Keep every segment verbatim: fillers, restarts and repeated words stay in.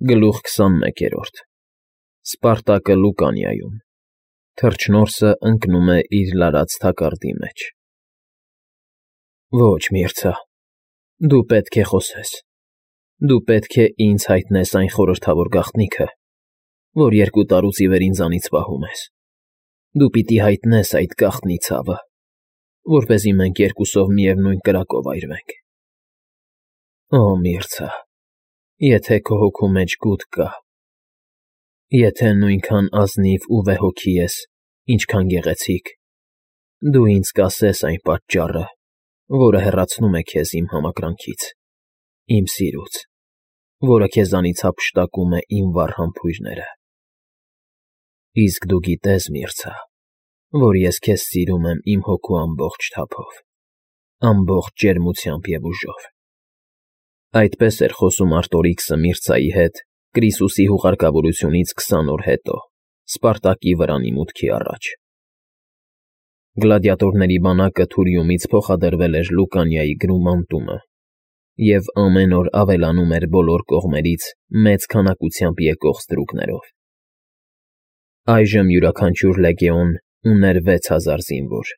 Գլուխ քսանմեկերորդ Սպարտակը Լուկանիայում Թռչնորսը ընկնում է իր լարած թակարդի մեջ։ Ոչ, Միրցա, դու պետք է խոսես, դու պետք է ինձ հայտնես այն խորհրդավոր գաղտնիքը, որ երկու տարուց ի վեր ինձանից պահում ես, դու պիտի հայտնես այդ գաղտնի ցավը, որպեսզի մենք երկուսով միևնույն կրակով այրվենք։ Օ, Միրցա, եթե քո հոգու մեջ գութ կա, եթե նույնքան ազնիվ ու վեհօքի ես, ինչքան գեղեցիկ, դու ինձ կասես այն պատճառը, որը հեռացնում է քեզ իմ համակրանքից, իմ սիրուց, որը քեզանից հափշտակում է իմ վառ համբույրները։ Իսկ դու գիտես, Միրցա, որ ես քեզ սիրում եմ իմ հոգու ամբողջ թափով, ամբողջ ջերմությամբ և ուժով։ Այդպես էր խոսում Արտորիքսը Միրցայի հետ Կրիսուսի հուղարկավորությունից քսան օր հետո, Սպարտակի վրանի մուտքի առաջ։ Գլադիատորների բանակը Թուրիումից փոխադրվել էր Լուկանիայի գրումանտումը, և ամեն օր ավելանում էր բոլոր կողմերից մեծ քանակությամբ եկող ստրուկներով։ Այժմ յուրաքանչյուր լեգեոն ուներ վեց հազար զինվոր,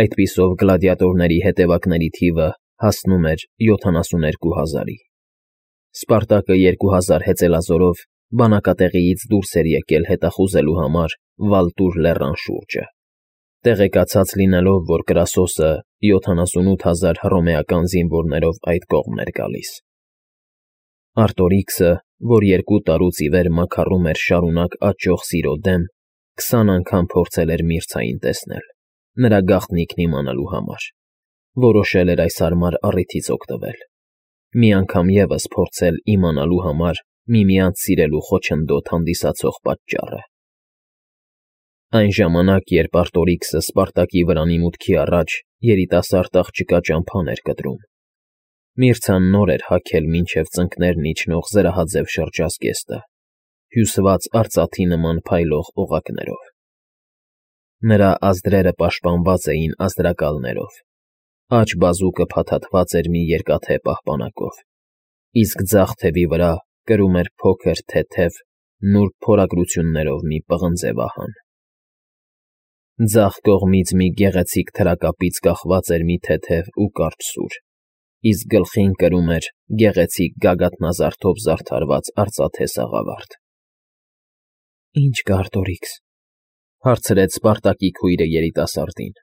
այդպիսով գլադիատորների հետևակների թիվը հասնում էր յոթանասուներկու հազարի։ Սպարտակը երկու հազար հեծելազորով բանակատեղիից դուրս էր եկել հետախուզելու համար Վալտուր լեռան շուրջը, տեղեկացած լինելով, որ Կրասոսը յոթանասունութ հազար հռոմեական զինվորներով այդ կողմն էր գալիս։ Արտորիքսը, որ երկու տարուց ի վեր մաքարում էր շարունակ աճող սիրո դեմ, քսան անգամ փորձել էր Միրցային տեսնել, նրա գաղտնիքն իմանալու համար, որոշել էր այս հարմար առիթից օգտվել, մի անգամ ևս փորձել իմանալու համար միմյանց սիրելու խոչընդոտ հանդիսացող պատճառը։ Այն ժամանակ, երբ Արտորիքսը Սպարտակի վրանի մուտքի առաջ երիտասարդ աղջկա ճամփան էր կտրում, Միրցան նոր էր հագել մինչև ծնկներն իջնող զրահաձև շրջազգեստը, հյուսված արծաթի նման փայլող օղակներով։ Նրա ազդրերը պաշտպանված էին ազդրակալներով, աջ բազուկը փաթաթված էր մի երկաթե պահպանակով, իսկ ձախ թևի վրա կրում էր փոքր, թեթև, նուրբ փորագրություններով մի պղնձե վահան։ Ձախ կողմից մի գեղեցիկ թրակապից կախված էր մի թեթև ու կարճ սուր, իսկ գլխին կրում էր գեղեցիկ գագաթնազարդով զարդարված արծաթե սաղավարտ։ ֊ Ի՞նչ կա, Արտորիքս,֊ հարցրեց Սպարտակի քույրը երիտասարդին,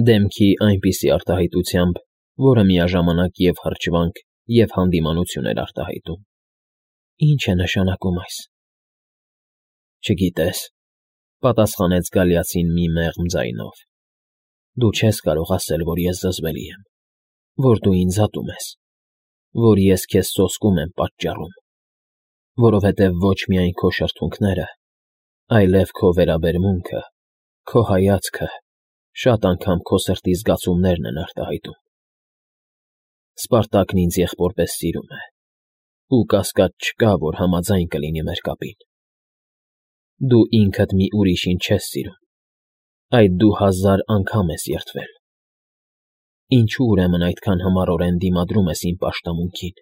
դեմքի այնպիսի արտահայտությամբ, որը միաժամանակ և հրճվանք, և հանդիմանություն էր արտահայտում։ Ի՞նչ է նշանակում այս։ ֊ Չգիտես,֊ պատասխանեց գալիացին մի մեղմ ձայնով։ Դու չես կարող ասել, որ ես զզվելի եմ, որ դու ինձ ատում ես, որ ես քեզ սոսկում եմ պատճառում, որովհետև ոչ միայն քո շրթունքները, այլև քո վերաբերմունքը, քո հայացքը շատ անգամ քո սրտի զգացումներն են արտահայտում։ Սպարտակն ինձ եղբորպես սիրում է, ու կասկած չկա, որ համաձայն կլինի մեր կապին։ Դու ինքդ մի ուրիշին չես սիրում, այլ դու հազար անգամ ես երդվել։ Ինչո՞ւ ուրեմն այդքան համառորեն դիմադրում ես իմ պաշտամունքին,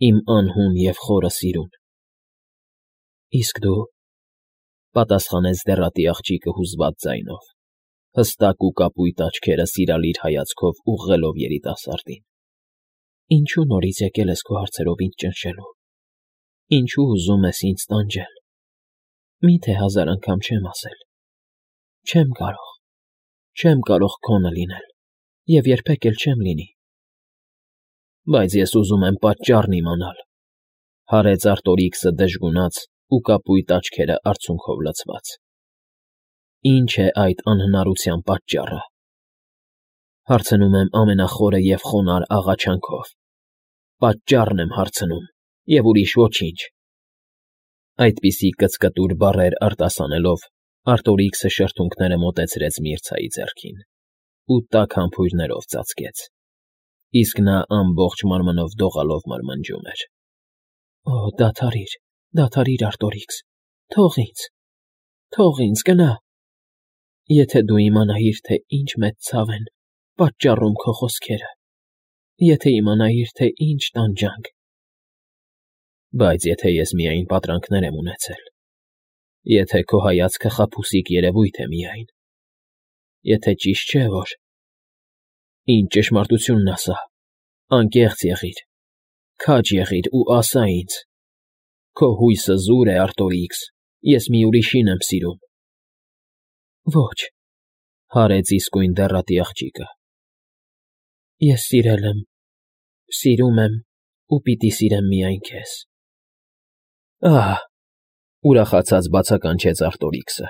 իմ անհուն և խորը սիրուն։ ֊ Իսկ դու,֊ պատասխանեց դեռատի աղջիկը հուզված ձայնով, հստակ ու կապույտ աչքերը սիրալիր հայացքով ուղղելով երիտասարդին,֊ ինչո՞ւ նորից եկել ես քո հարցերով ինձ ճնշելու, ինչո՞ւ ուզում ես ինձ տանջել։ Մի՞թե հազար անգամ չեմ ասել. չեմ կարող, չեմ կարող քոնը լինել և երբեք էլ չեմ լինի։ ֊ Բայց ես ուզում եմ պատճառն իմանալ,֊ հարեց Արտորիքսը դժգունած ու կապույտ աչքերը արցունքով լցված։ ֊ Ի՞նչ է այդ անհնարության պատճառը։ Հարցնում եմ ամենախորը և խոնարհ աղաչանքով։ Պատճառն եմ հարցնում, և ուրիշ ոչինչ։ Այդպիսի կծկտուր բառեր արտասանելով, Արտորիքսը շրթունքները մոտեցրեց Միրցայի ձեռքին ու տաք համբույրներով ծածկեց, իսկ նա ամբողջ մարմնով դողալով մրմնջում էր. ֊ Օ, դադարիր, դադարիր, Արտորիքս, թող ինձ, թող ինձ, գնա… Եթե դու իմանայիր, թե ինչ մեծ ցավ են պատճառում քո խոսքերը, եթե իմանայիր, թե ինչ տանջանք… Բայց եթե ես միայն պատրանքներ եմ ունեցել, եթե քո հայացքը խաբուսիկ երևույթ է միայն, եթե ճիշտ չէ, որ… Ինձ ճշմարտությունն ասա, անկեղծ եղիր, քաջ եղիր ու ասա ինձ. քո հույսը զուր է, Արտորիքս, ես մի ուրիշին եմ սիրում։ Ոչ, հարեց իսկույն դեռատի աղջիկը, ես սիրել եմ, սիրում եմ ու պիտի սիրեմ միայն քեզ։ Ահ, ուրախացած բացականչեց Արտորիքսը,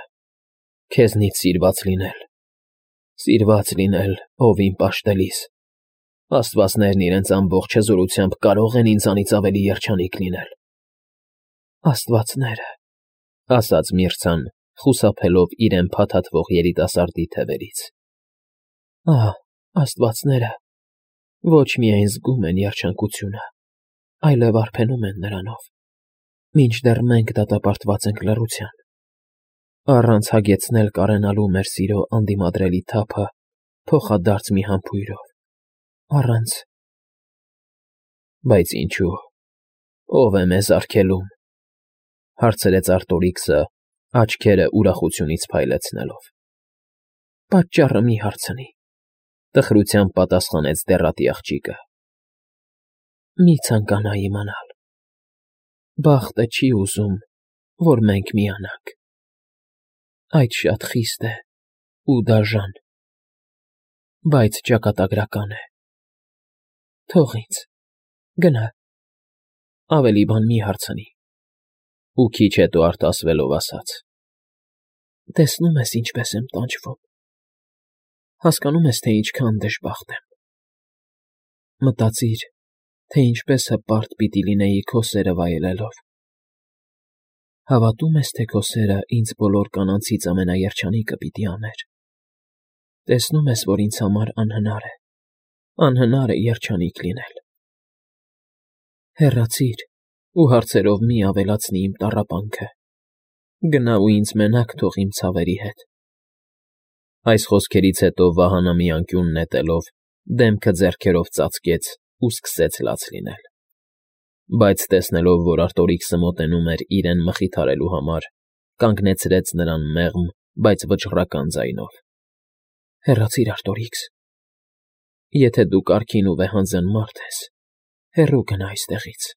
քեզնից սիրված լինել, սիրված լինել, ով իմ պաշտելիս, աստվածներն իրենց ամբողջ հզորությամբ կարող են ինձանից ավելի երջանիկ լինել։ Աստվածները, ասաց Միրցան, խուսափելով իրեն փաթաթվող երիտասարդի թևերից։ Ահ, աստվածները ոչ միայն զգում են երջանկությունը, այլև արբենում են նրանով, մինչդեռ մենք դատապարտված ենք լռության, առանց հագեցնել կարենալու մեր սիրո անդիմադրելի թափը փոխադարձ մի համբույրով, առանց… Բայց ինչու, ո՞վ է մեզ արգելում, հարցրեց Արտորիքսը, աչքերը ուրախությունից փայլեցնելով։ Պատճառը մի հարցնի, տխրությամբ պատասխանեց դեռատի աղջիկը։ Մի ցանկանա իմանալ, բախտը չի ուզում, որ մենք միանանք, այդ շատ խիստ է ու դաժան, բայց ճակատագրական է։ Թող ինձ, գնա, ավելի բան մի հարցնի, ու քիչ հետո արտասվելով ասաց. Տեսնում ես ինչպես եմ տանջվում, հասկանում ես, թե ինչքան դժբախտ եմ։ Մտածիր, թե ինչպես հպարտ պիտի լինեի քո սերը վայելելով։ Հավատում ես, թե քո սերը ինձ բոլոր կանանցից ամենաերջանիկը պիտի աներ։ Տեսնում ես, որ ինձ համար անհնար է, անհնար է երջանիկ լինել։ Հեռացիր ու հարցերով մի ավելացնի իմ տառապանքը, գնա ու ինձ մենակ թող իմ ցավերի հետ։ Այս խոսքերից հետո Վահանը մի անկյուն նետելով, դեմքը ձեռքերով ծածկեց ու սկսեց լաց լինել։ Բայց տեսնելով, որ Արտորիքսը մոտենում էր իրեն մխիթարելու համար, կանգնեցրեց նրան մեղմ, բայց վճռական ձայնով. Հեռացիր, Արտորիքս, եթե դու կարգին ու վեհանձն մարդ ես, հեռու գնա այստեղից։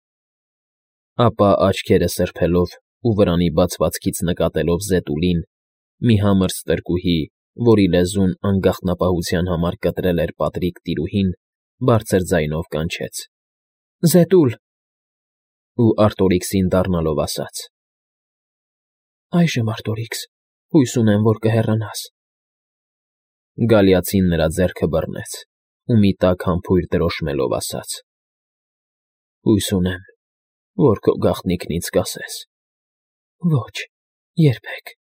Ապա աչքերը սրբելով ու վրանի բացվածքից նկատելով Զետուլին, մի համր ստրկուհի, որի լեզուն անգաղտնապահության համար կտրել էր պատրիկ տիրուհին, բարձր ձայնով կանչեց. Զետուլ… Ու Արտորիքսին դառնալով ասաց. Այժմ, Արտորիքս, հույս ունեմ, որ կհեռանաս։ Գալիացին նրա ձեռքը բռնեց ու մի տաք համբույր դրոշմելով ասաց. Հույս ունեմ, որ քո գաղտնիքն ինձ կասես։ Ոչ, երբեք։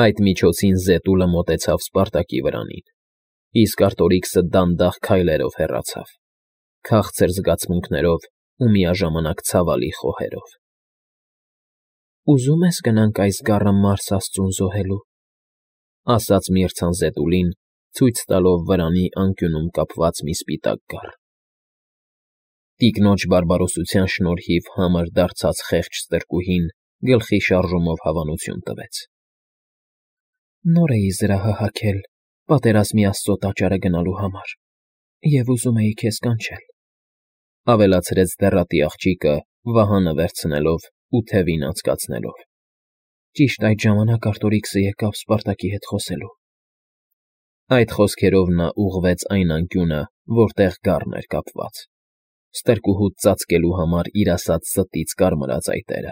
Այդ միջոցին Զետուլը մոտեցավ Սպարտակի վրանին, իսկ Արտորիքսը դանդաղ քայլերով հեռացավ, քաղցր զգացմունքներով ու միաժամանակ ցավալի խոհերով։ Ուզում ես գնանք այս գառը Մարս աստծուն զոհելու, ասաց Միրցան Զետուլին, ցույց տալով վրանի անկյունում կապված մի սպիտակ կառ։ Տիկնոջ բարբարոսության շնորհիվ համր դարձած խեղճ ստրկուհին գլխի շարժումով հավանություն տվեց։ Նոր էի զրահը հագել պատերազմի աստծո տաճարը գնալու համար և ուզում էի քեզ կանչել, ավելացրեց դեռատի աղջիկը, Վահանը վերցնելով ու թևին անցկացնելով։ Ճիշտ այդ ժամանակ Արտորիքսը եկավ Սպարտակի հետ խոսելու։ Այդ խոսքերով նա ուղղվեց այն անկյունը, որտեղ գառն էր կապված, ստրկուհուց ծածկելու համար իր ասած ստից կարմրած այտերը։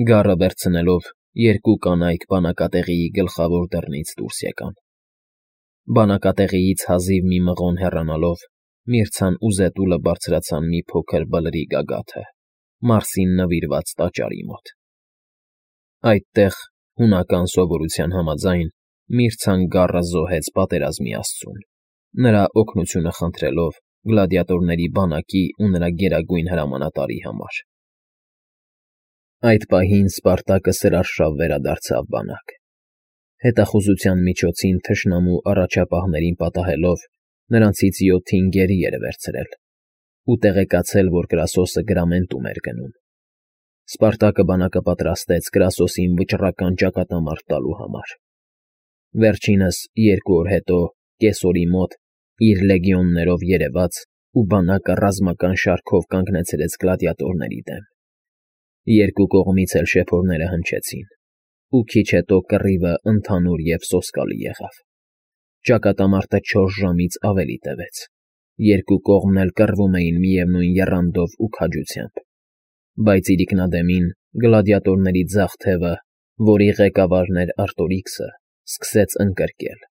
Գառը վերցնելով, երկու կանայք բանակատեղիի գլխավոր դռնից դուրս եկան։ Բանակատեղիից հազիվ մի մղոն հեռանալով, Միրցան ու Զետուլը բարձրացան մի փոքր բլրի գագաթը, Մարսին նվիրված տաճարի մոտ։ Այդտեղ, հունական սովորության համաձայն, Միրցան գառը զոհեց պատերազմի աստծուն, նրա օգնությունը խնդրելով գլադիատորների բանակի ու նրա գերագույն հրամանատարի համար։ Այդ պահին Սպարտակը սրարշավ վերադարձավ բանակ։ Հետախուզության միջոցին թշնամու առաջապահներին պատահելով, նրանցից յոթին գերի էր վերցրել, ու տեղեկացել, որ Կրասոսը գրամենտում էր գնում։ Սպարտակը բանակը պատրաստեց Կրասոսին վճռական ճակատամարտ տալու համար։ Վերջինս երկու օր հետո կեսօրի մոտ իր լեգիոններով երևաց ու բանակը ռազմական շարքով կանգնեցրեց գլադիատորների դեմ։ Երկու կողմից էլ շեփորները հնչեցին, ու քիչ հետո կռիվը ընդհանուր և սոսկալի եղավ։ Ճակատամարտը չորս ժամից ավելի տևեց, երկու կողմն էլ կռվում էին միևնույն եռանդով ու քաջությամբ, բայց իրիկնադեմին գլադիատորների ձախ թևը, որի ղեկավարն էր Արտորիքսը, սկսեց ընկրկել։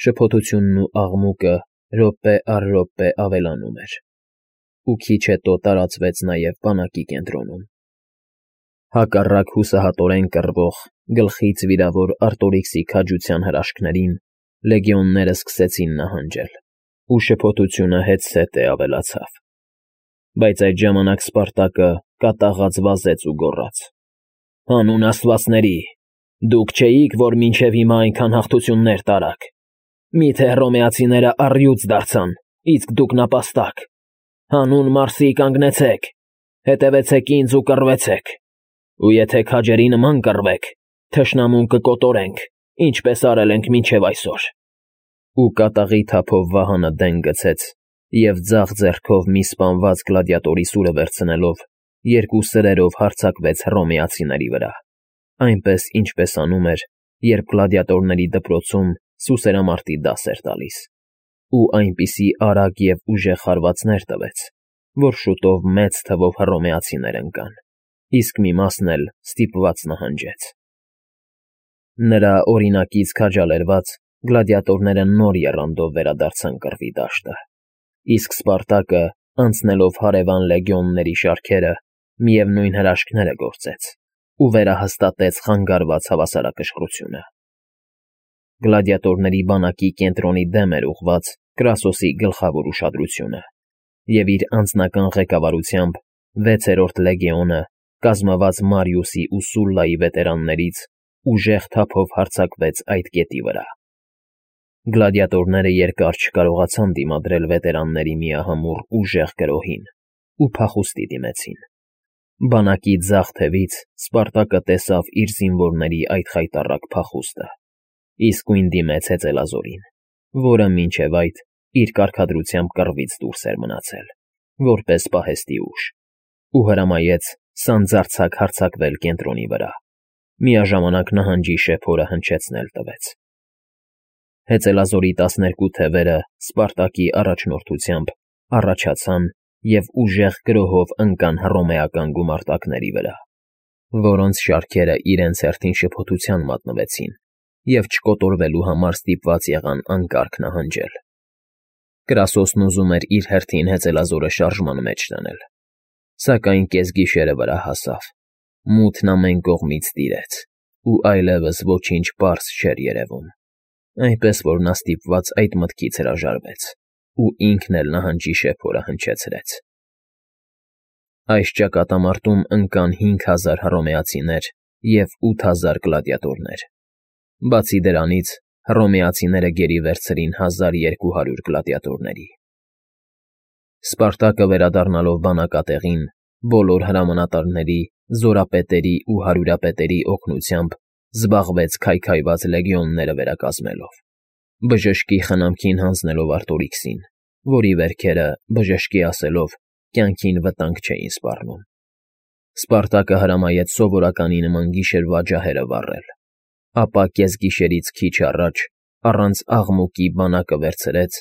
Շփոթությունն ու աղմուկը րոպե առ րոպե ավելանում էր, ու քիչ հետո տարածվեց նաև բանակի կենտրոնում։ Հակառակ հուսահատորեն կռվող, գլխից վիրավոր Արտորիքսի քաջության հրաշքներին լեգիոնները սկսեցին նահանջել, ու շփոթությունը հետզհետե ավելացավ։ Բայց այդ ժամանակ Սպարտակը կատաղած վազեց ու գոռաց. «Հանուն աստվածների, դուք չէիք, որ մինչև հիմա այնքան հաղթություններ տարաք։ Մի՞թե հռոմեացիները առյուծ դարձան, իսկ դուք նապաստակ։ Հանուն Մարսի կանգնեցեք, հետևեցեք ինձ ու կռվեցեք։ Ու եթե քաջերի նման կռվեք, թշնամուն կկոտորենք, ինչպես արել ենք մինչև այսօր»։ Ու կատաղի թափով վահանը դեն գցեց և ձախ ձեռքով մի սպանված գլադիատորի սուրը վերցնելով երկու սրերով հարձակվեց հռոմեացիների վրա, այնպես, ինչպես անում էր, երբ գլադիատորների դպրոցում սուսերամարտի դաս էր տալիս, ու այնպիսի արագ և ուժեղ հարվածներ տվեց, որ շուտով մեծ թվով հռոմեացիներ ընկան, իսկ մի մասն էլ ստիպված նահանջեց։ Նրա օրինակից քաջալերված գլադիատորները նոր եռանդով վերադարձան կռվի դաշտը, իսկ Սպարտակը, անցնելով հարևան լեգիոնների շարքերը, միևնույն հրաշքները գործեց ու վերահաստատեց խանգարված հավասարակշռությունը։ Գլադիատորների բանակի կենտրոնի դեմ էր ուղղված Կրասոսի գլխավոր ուշադրությունը, և իր անձնական ղեկավարությամբ վեցերորդ լեգիոնը, կազմված Մարիուսի ու Սուլլայի վետերաններից, ուժեղ թափով հարձակվեց այդ կետի վրա։ Գլադիատորները երկար չկարողացան դիմադրել վետերանների միահամուռ ուժեղ գրոհին ու փախուստի դիմեցին։ Բանակի ձախ թևից Սպարտակը տեսավ իր զինվորների այդ խայտառակ փախուստը, իսկույն դիմեց հեծելազորին, որը մինչև այդ իր կարգադրությամբ կռվից դուրս էր մնացել, որպես պահեստի ուժ, ու հրամայեց սանձարձակ հարձակվել կենտրոնի վրա, միաժամանակ նահանջի շեփորը հնչեցնել տվեց։ Հեծելազորի տասներկու թևերը Սպարտակի առաջնորդությամբ առաջացան և ուժեղ գրոհով ընկան հռոմեական գումարտակների վրա, որոնց շարքերը իրենց հերթին շփոթության մատնվեցին և չկոտորվելու համար ստիպված եղան անկարգ նահանջել։ Կրասոսն ուզում էր իր հերթին հեծելազորը շարժման մեջ դնել, սակայն կեսգիշերը վրա հասավ, մութն ամեն կողմից տիրեց, ու այլևս ոչինչ պարզ չէր երևում, այնպես որ նա ստիպված այդ մտքից հրաժարվեց ու ինքն էլ նահանջի շեփորը հնչեցրեց։ Այս ճակատամարտում ընկան հինգ հազար հռոմեացիներ և ութ հազար գլադիատորներ։ Բացի դրանից, հռոմեացիները գերի վերցրին հազար երկու հարյուր գլադիատորների։ Սպարտակը վերադառնալով բանակատեղին, բոլոր հրամանատարների, զորապետերի ու հարյուրապետերի օգնությամբ զբաղվեց քայքայված լեգիոնները վերակազմելով, բժշկի խնամքին հանձնելով Արտորիքսին, որի վերքերը, բժշկի ասելով, կյանքին վտանգ չէին սպառնում։ Սպարտակը հրամայեց սովորականի նման գիշերվա ջահերը վառել, ապա կեսգիշերից քիչ առաջ, առանց աղմուկի բանակը վերցրեց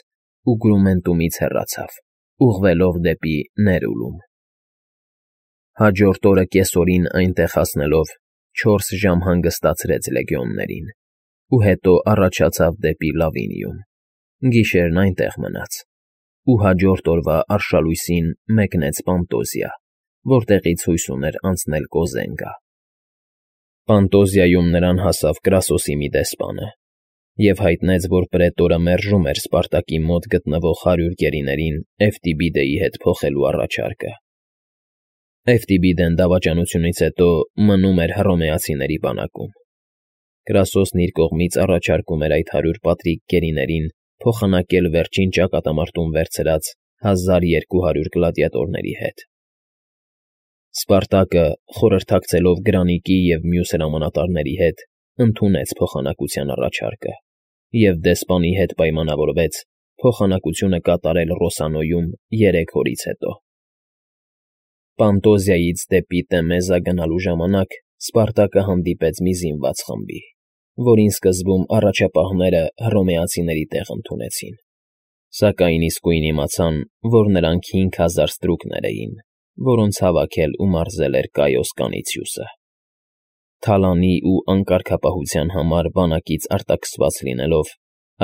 ու Գրումենտումից հեռացավ, ուղղվելով դեպի Ներուլում։ Հաջորդ օրը կեսօրին այնտեղ հասնելով չորս ժամ հանգստացրեց լեգիոններին ու հետո առաջացավ դեպի Լավինիում, գիշերն այնտեղ մնաց ու հաջորդ օրվա արշալույսին մեկնեց Պանտոզիա, որտեղից հույս ուներ անցնել Կոզենգա։ Պանտոզիայում նրան հասավ Կրասոսի մի դեսպանը և հայտնեց, որ պրետորը մերժում էր Սպարտակի մոտ գտնվող հարյուր գերիներին Էվտիբիդեի հետ փոխելու առաջարկը։ Էվտիբիդեն դավաճանությունից հետո մնում էր հռոմեացիների բանակում։ Կրասոսն իր կողմից առաջարկում էր այդ հարյուր պատրիկ գերիներին փոխանակել վերջին ճակատամարտում վերցրած հազար երկու հարյուր գլադիատորների հետ։ Սպարտակը, խորհրդակցելով Գրանիկի և մյուս հրամանատարների հետ, ընդունեց փոխանակության առաջարկը և դեսպանի հետ պայմանավորվեց փոխանակությունը կատարել Ռոսանոյում երեք օրից հետո։ Պանտոզիայից դեպի Տեմեզա գնալու ժամանակ Սպարտակը հանդիպեց մի զինված խմբի, որին սկզբում առաջապահները հռոմեացիների տեղ ընդունեցին, սակայն իսկույն իմացան, որ նրանք հինգ հազար ստրուկներ էին, որոնց հավաքել ու մարզել էր Կայոս Կանիցիուսը։ Թալանի ու անկարգապահության համար բանակից արտաքսված լինելով,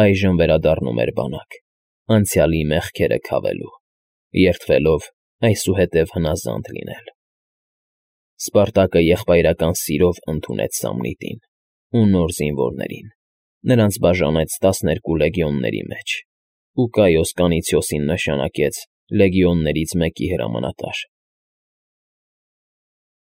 այժմ վերադառնում էր բանակ, անցյալի մեղքերը քավելու, երդվելով այսուհետև հնազանդ լինել։ Սպարտակը եղբայրական սիրով ընդունեց Սամնիտին ու նոր զինվորներին, նրանց բաժանեց տասներկու լեգիոնների մեջ ու Կայոս Կանիցիոսին նշանակեց լեգիոններից մեկի հրամանատար։